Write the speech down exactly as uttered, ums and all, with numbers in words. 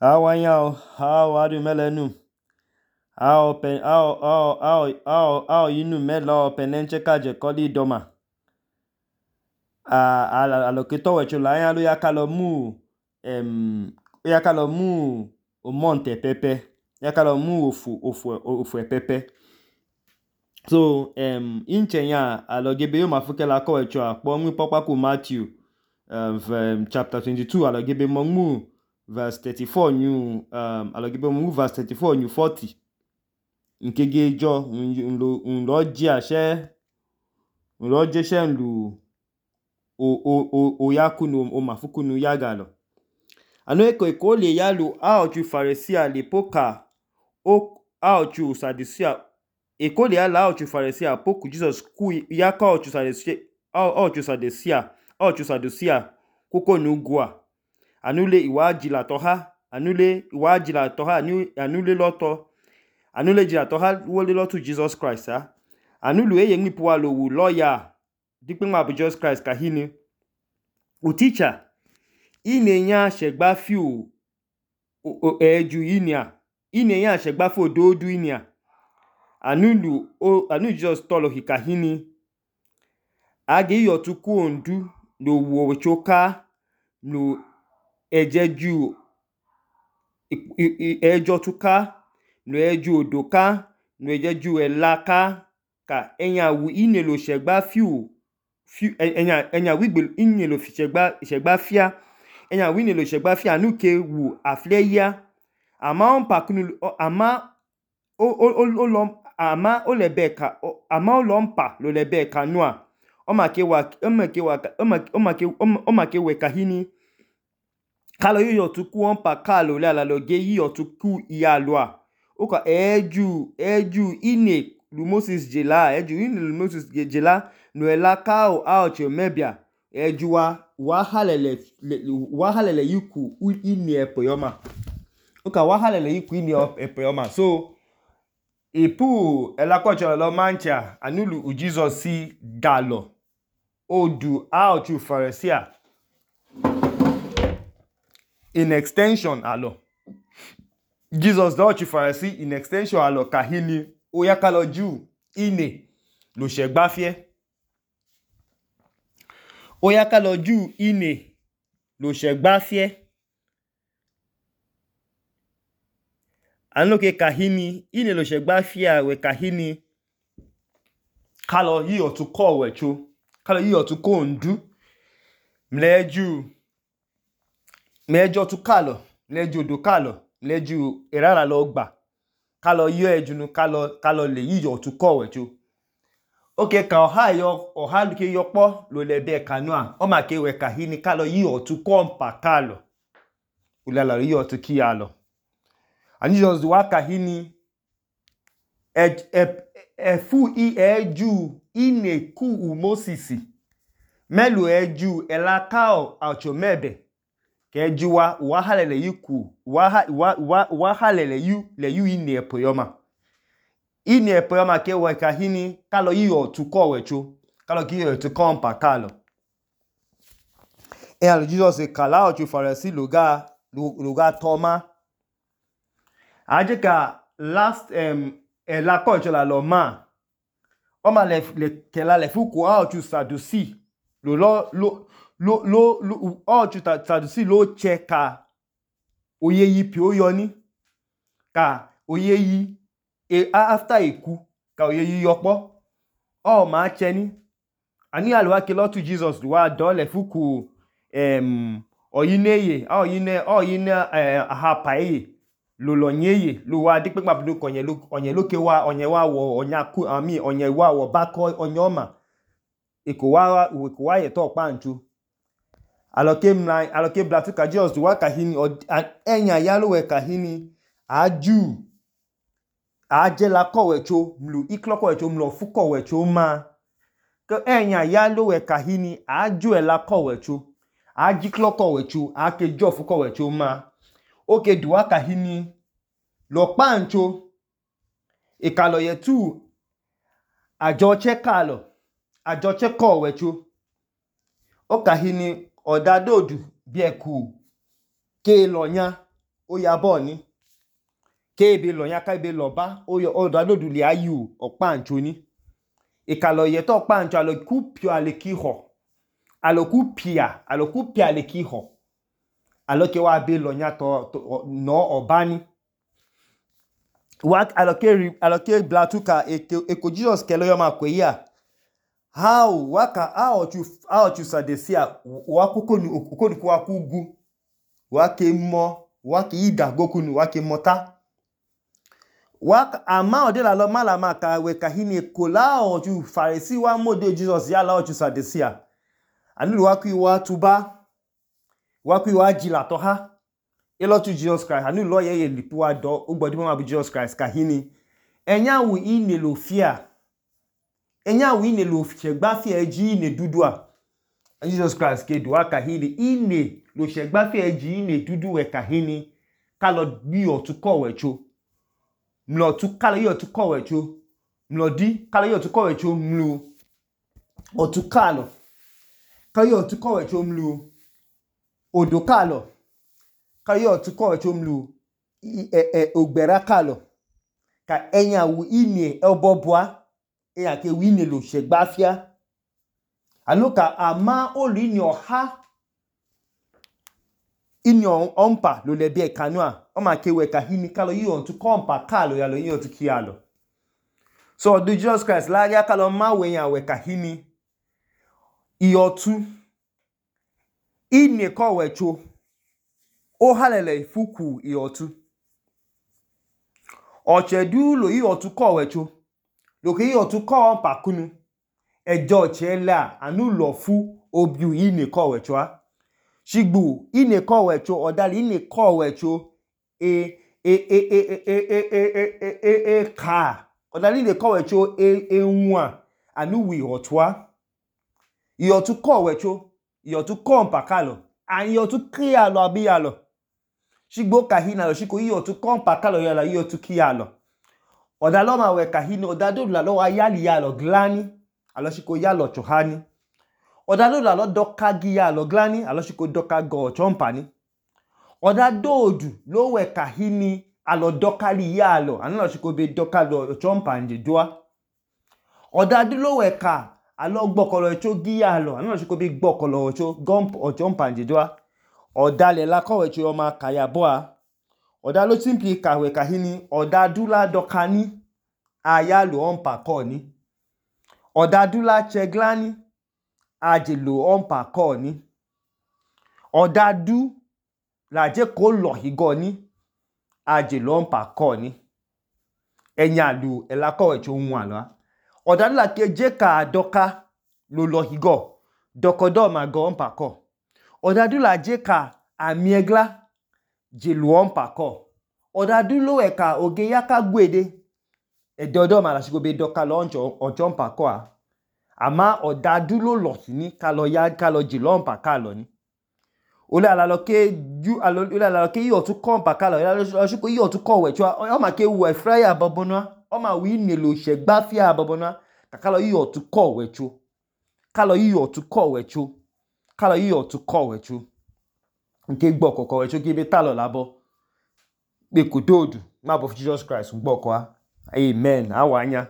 Awanyao, how adu melenu? How pen how how how how how yinu melo penenche kaje koli doma. Ah ala aloketo wecho la ya lo yakalo mu em yakalo mu o monte pepe. Yakalo mu ofu ofu ofu pepe. So em inchenya alogebe yo mafuke la ko wecho akpo nwi pokpa ku Matthew um, chapter twenty-two alogebe mu verse thirty-four new um alogebe mu verse thirty-four new forty. Nkege jo nlo nlo ji ase nlo je se nlu o o o o yakunu o mafukunu yagalo. Ano eko eko le yalu a ochu Pharisee le poka o a ochu Sadducea eko le yala a ochu Pharisee poku Jesus ku yaka ochu Sadducea a ochu Sadducea a ochu Sadducea koko nugwa anule iwa jila toha anule iwa jila toha anule loto anule jila toha wole lotu Jesus Christ ah anulu eye ngipu wa lo wu lawyer dikpe ma bu Jesus Christ kahini u teacher inenya shegba fiu eju inia inenya shegba fo dodu inia anulu o anu Jesus tolo hikahini age yo tuku ondu lo wo choka no ejeju ejo tuka no eju odoka no ejeju elaka ka enya wu inelo shegba fiu enya enya wigbe inelo shegba shegba fia enya wu inelo shegba fia anuke wu afleya ama on pakunu ama o o o ama o lebeka ama o lompa lo lebeka noa o make wa o make wa o make o make we kahini kalo yo tuku on pa kalo le ala loge yi otuku iyalwa o ka eju eju ine lu Moses jela eju ine lu Moses jela no elaka o a ocho mebia eju wa wa halele wa halele yiku ine epoyoma o ka wa halele yiku ine epoyoma so ipu elakocho lo mancha anulu u Jesus si galo odu a ochu Pharisee in extension alo Jesus do ochu Pharisee in extension alo kahini o yakalo ju ine lo shegba fie o yakalo ju ine lo shegba fie anoke kahini ine lo shegba fie we kahini kalo yi otuko wecho kalo yi otuko ndu mleju mejo tu kalo mleju do kalo mleju erara lo gba kalo yo ejunu kalo kalo le yi otuko wecho oke ka oha yo oha luke yopo lo lebe kanua o make we kahini kalo yi otuko mpa kalo ulala yi otuki alo and Jesus wa kahini e e efu i eju ine ku u Moses melu eju elakao acho mebe ke eju wa wa halele yiku wa wa wa halele yu le yu ine epoyoma ine epoyoma ke we kahini kalo yi otuko wecho kalo ki otuko mpa kalo e alo Jesus e kala ocho Pharisee loga loga toma ajeka last um elakocho la lo ma o ma le le kela le fuku a ochu Sadducee lo lo lo lo lo lo ochu Sadducee lo cheka oye yi pi oyoni ka oye yi e after iku ka oye yi yopo o ma cheni ani alwa ke lo tu Jesus wa do le fuku em oyineye oyine oyine aha paye lo lo nyeye lo wa dikpe mabudu konye lo onye loke wa onye wa wo onya ku ami onye wa wo bako onyoma eko wa eko wa ye to panchu aloke mna aloke blatu ka Jesus wa kahini enya yalo we kahini aju ajela ko wecho mlu ikloko wecho mlu fuko wecho ma ko enya yalo we kahini aju ela ko wecho aji kloko wecho ake jo fuko wecho ma oke duwa kahini lo pancho ikalo yetu ajo chekalo ajo cheko wecho o kahini odadodu bieku ke lonya oyabọ ni kebe lọnya kebe lọba ọdadodu lẹa yu ọkpancho ni ìkàlọ̀ yẹtọ̀ ọkpancho alọku pio aleki họ alọku pia alọku pia aleki họ alọke wa be lọnya tọ nọ ọba ni wa alọke alọke blatu ka eko Jesus kẹlẹ yọ ma kwe ya how waka how ọchu how ọchu sadesia wa kokonu okonu kwa kugu wa ke mọ wa ke ida gokunu wa ke mọta wa ama ode la lo mala ma ka we ka hini kola ọchu Pharisee wa mode Jesus ya la ọchu sadesia anu wa ku wa tuba wa ku wa jila to ha elotu Jesus Christ anu lo ye ye lipu wa do ogbodi mo ma bi Jesus Christ ka hini enya wu ine lo fia enya wu ine lo segba fi eji ine dudu a Jesus Christ ke do ka hini ine lo segba fi eji ine dudu we ka hini ka lo bi otu ko wecho mlo tu ka lo yo tu ko wecho mlo di ka lo yo tu ko wecho mlu otu ka lo ka yo tu ko wecho mlu odo ka lo ka yo tu ko wecho mlu e e ogbera ka lo ka enya wu ine obobua e ya ke wi ne lo segba fia aloka ama olu ni oha ini ompa lo le bi e kanua o ma ke we ka hini ka lo yi on tu kompa ka lo ya lo yi on tu ki ya lo so do Jesus Christ la ya ka lo ma we yan we ka hini iyotu ine ko wecho o halele ifuku iyotu ochedu lo iyotu ko wecho lo ke iyotu ko ompa kunu ejo chela anu lo fu obiu ine ko wecho a shigbu ine ko wecho odali ine ko wecho e e e e e e e e e ka odali ine ko wecho e enwa anu wi otwa iyotu ko wecho iyotu ko ompa kalo an iyotu kia lo abi ya lo shigbo ka hina lo shiko iyotu ko ompa kalo ya la iyotu kia lo odalo ma we ka hina odado la lo wa yali ya lo glani aloshiko ya lo chohani odado la lo doka gi ya lo glani aloshiko doka go chompani odadodu lo we ka hini alo doka li ya lo aloshiko be doka lo chompanje doa odado lo we ka alo gbokolo cho gi ya lo aloshiko be gbokolo cho gomp o chompanje doa odale la ko we cho ma kaya boa odalo simply ka we ka hini odadu la doka ni aya lo ompa ko ni odadula cheglani ajelo ompa ko ni odadu la je ko lo higo ni ajelo ompa ko ni enya lu ela ko wecho nwa lo odadu la ke je ka doka lo lo higo dokodo ma go ompa ko odadu la je ka amiegla jelo ompa ko odadu lo e ka oge yaka gwede edodo ma la shiko be doka lo oncho oncho ompa ko a ama odadu lo lo ni ka lo ya ka lo jelo ompa ka lo ni ole ala lo ke ju alo ole ala lo ke yo tu ko ompa ka lo ya lo shiko yo tu ko we cho o ma ke wu e frya bobona o ma wi ne lo segba fia bobona ka ka lo yo tu ko we cho ka lo yo tu ko we cho ka lo yo tu ko we cho nke gbo kokko we cho ki be ta lo labo pe ko dodu ma bo Jesus Christ gbo ko a amen awanya